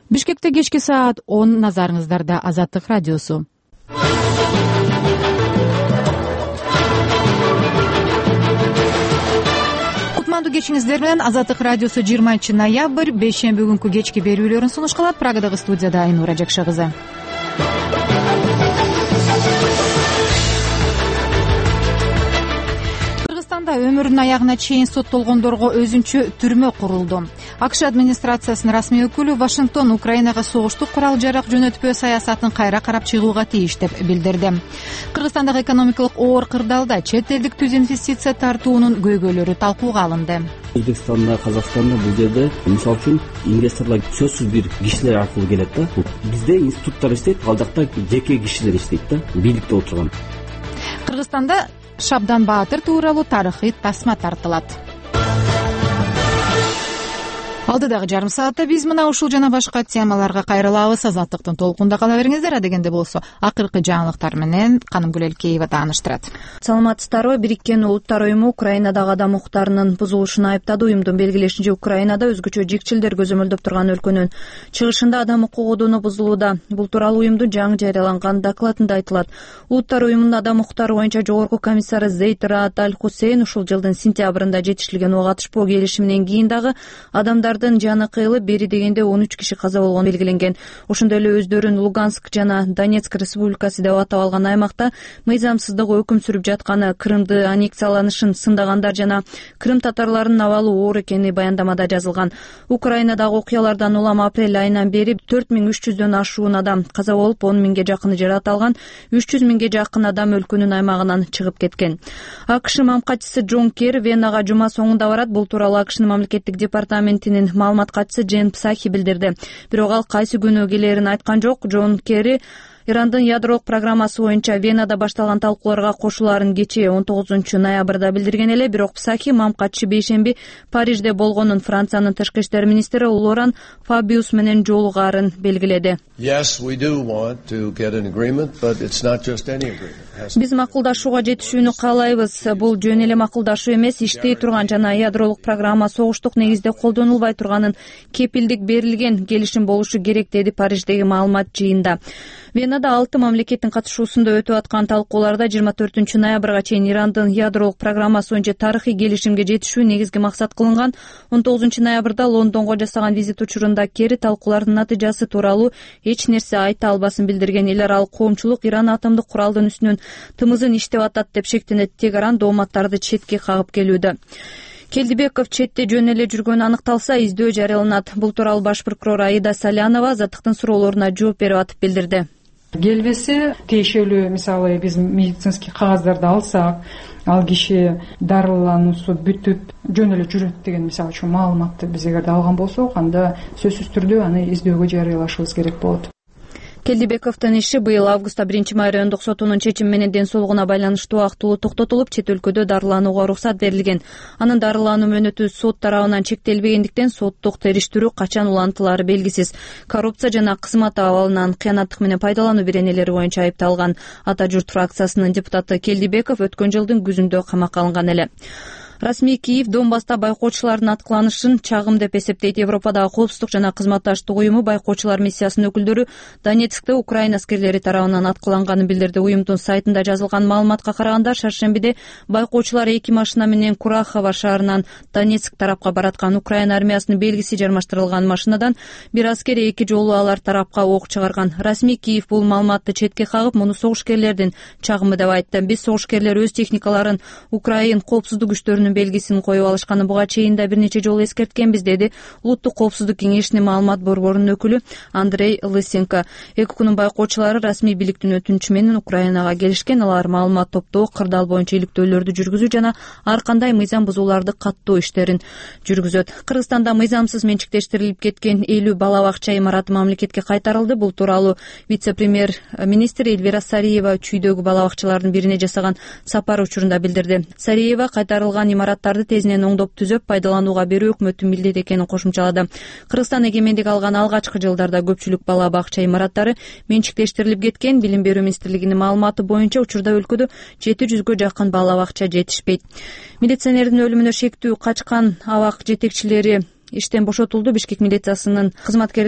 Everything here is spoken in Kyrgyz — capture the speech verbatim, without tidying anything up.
Бишкекте кечки саат он, назарыңыздарда Азаттык радиосу. Кутмандуу кечиңиздер менен Азаттык радиосу жыйырманчы ноябрь бейшемби күнкү кечки берүүлөрүн сунуш кылат. Прагадагы студияда Айнура Жакша кызы. Өмүрүнүн аягына чейин соттолгондорго өзүнчө түрмө курулду. АКШ администрациясынын расмий өкүлү Вашингтон Украинага согуштук курал-жарак жөнөтпөө саясатын кайра карап чыгууга тийиш деп билдирди. Кыргызстандагы экономикалык оор кырдаалда чет элдик түз инвестиция тартуунун көйгөйлөрү талкууга алынды. Өзбекстанда, Казакстанда бул жерде мисалы үчүн инвесторлор сөзсүз бир кишилер аркылуу келет да. Бизде институттар иштейт, ал жакта жеке кишилер иштейт да, бийликте отурган. Кыргызстанда Шабдан Баатыр тууралуу тарыхый тасма тартылат. Алдыдагы жарым саатта биз мына ушул жана башка темаларга кайрылабыз. Азаттыктын толкунда кала бериңиздер. Адегенде болсо акыркы жаңылыктар менен Канымгүл Элкеева тааныштырат. Саламатсыздарбы? Бириккен Улуттар уюму Украинадагы адам укуктарынын бузулушун айыптады. Уюмдун белгилешинче, Украинада өзгөчө жикчилдер көзөмөлдөп турган өлкөнүн чыгышында адам укугу бузулууда. Бул тууралуу уюмдун жаңы жарыяланган докладында айтылат. Улуттар уюмунун адам укуктары боюнча жогорку комиссары Зейд Раат Аль-Хусейн ушул жылдын сентябрында жетишилген ого катышпоо келишиминен кийин дагы адамдар жаны кыйылып, бери дегенде он үч киши каза болгону белгиленген. Ошондой эле өздөрүн Луганск жана Донецк республикасы деп атап алган аймакта мыйзамсыздык өкүм сүрүп жатканы, Крымды аннексияланышын сындагандар жана Крым татарларынын абалы оор экени баяндамада жазылган. Украинадагы окуялардан улам апрель айынан бери төрт миң үч жүздөн ашуун адам каза болуп, он миңге жакыны жаракат, үч жүз миңге жакын адам өлкөнүн аймагынан чыгып кеткен. АКШ мамкатчысы Джон Керри Венага жума соңунда барат. Бул тууралуу АКШнын мамлекеттик департаментинин маалымат катчысы Джен Псахи билдирди. Бирок ал кайсы күнү келерин айткан жок. Джон Керри Ирандын ядролук программасы боюнча Венада башталган талкууларга кошулаарын кечээ он тогузунчу ноябрда билдирген эле. Бирок Псахи мамкатчы бейшемби Парижде болгонун Франциянын тышкы иштер министри Лоран Фабиус менен жолугаарын белгиледи. Биз макулдашууга жетишүүнү каалайбыз. Бул жөн эле макулдашуу эмес, иштей турган жана ядролук программа согуштук негизде колдонулбай турганын кепилдик берилген келишим болушу керек, деди Париждеги маалымат жыйында. Венада алты мамлекеттин катышуусунда өтүп аткан талкууларда жыйырма төртүнчү ноябрга чейин Ирандын ядролук программасы боюнча тарыхый келишимге жетишүү негизги максат кылынган. он тогузунчу ноябрда Лондонго жасаган визит учурунда Керри талкуулардын натыйжасы тууралуу эч нерсе айта албасын билдирген. Эл аралык коомчулук Иран атомдук куралдын үстүнөн тымызын иштеп атат деп шектенет. Тегеран дооматтарды четке кагып келүүдө. Келдибеков четте жөн эле жүргөнү аныкталса, издөө жарыяланат. Бул тууралуу баш прокурор Аида Салянова Азаттыктын суроолоруна жооп берип атып билдирди. Келбесе тиешелүү, мисалы биз медицинский кагаздарды алсак, ал киши дарылануусу бүтүп жөн эле жүрөт деген мисалы үчүн маалыматты биз эгерде алган болсок, анда сөзсүз түрдө аны издөөгө жарыялашыбыз керек болот. Келдибековдун иши быйыл августта биринчи май райондук сотунун чечими менен ден соолугуна байланыштуу актылуу токтотулуп, чет өлкөдө дарыланууга уруксат берилген. Анын дарылануу мөөнөтү сот тарабынан чектелбегендиктен соттук териштирүү качан улантылары белгисиз. Коррупция жана кызмат абалынан кыянаттык менен пайдалануу беренелери боюнча айыпталган. Ата журт фракциясынын депутаты Келдибеков өткөн жылдын күзүндө камакка алынган эле. Расмий Киев Донбасста байкоочулардын аткыланышын чагым деп эсептейт. Европадагы коопсуздук жана кызматташтык уюму байкоочулар миссиясынын өкүлдөрү Донецкте Украина аскерлери тарабынан аткыланганын билдирди. Уюмдун сайтында жазылган маалыматка караганда, шаршембиде байкоочулар эки машина менен Курахова шаарынан Донецк тарапка бараткан. Украина армиясынын белгиси жармаштырылган машинадан бир аскер эки жолу алар тарапка ок чыгарган. Расмий Киев бул маалыматты четке кагып, муну согушкерлердин чагымы деп айтты. Биз согушкерлер өз техникаларын Украин коопсуздук күчтөрүнүн белгисин коюп алышканы буга чейин да бир нече жолу эскерткенбиз, деди Улуттук коопсуздук кеңешинин маалымат борборунун өкүлү Андрей Лысенко. Эки күнүн байкоочулары расмий бийликтин өтүнүчү менен Украинага келишкен. Алар маалымат топтоо, кырдаал боюнча иликтөөлөрдү жүргүзүү жана ар кандай мыйзам бузууларды каттоо иштерин жүргүзөт. Кыргызстанда мыйзамсыз менчиктештирилип кеткен элүү бала бакча имараты мамлекетке кайтарылды. Бул тууралуу вице-премьер министр Эльвира Сариева чүйдөгү бала бакчалардын бирине жасаган сапар учурунда билдирди. Сариева кайтарылган имараттарды тезинен оңдоп түзөп пайдаланууга берүү өкмөттүн милдети экенин кошумчалады. Кыргызстан эгемендик алган алгачкы жылдарда көпчүлүк бала бакча имараттары менчиктештирилип кеткен. Билим берүү министрлигинин маалыматы боюнча учурда өлкөдө жети жүзгө жакын бала бакча жетишпейт. Милиционердин өлүмүнө шектүү качкан абак жетекчилери иштен бошотулду. Бишкек милициясынын кызматкери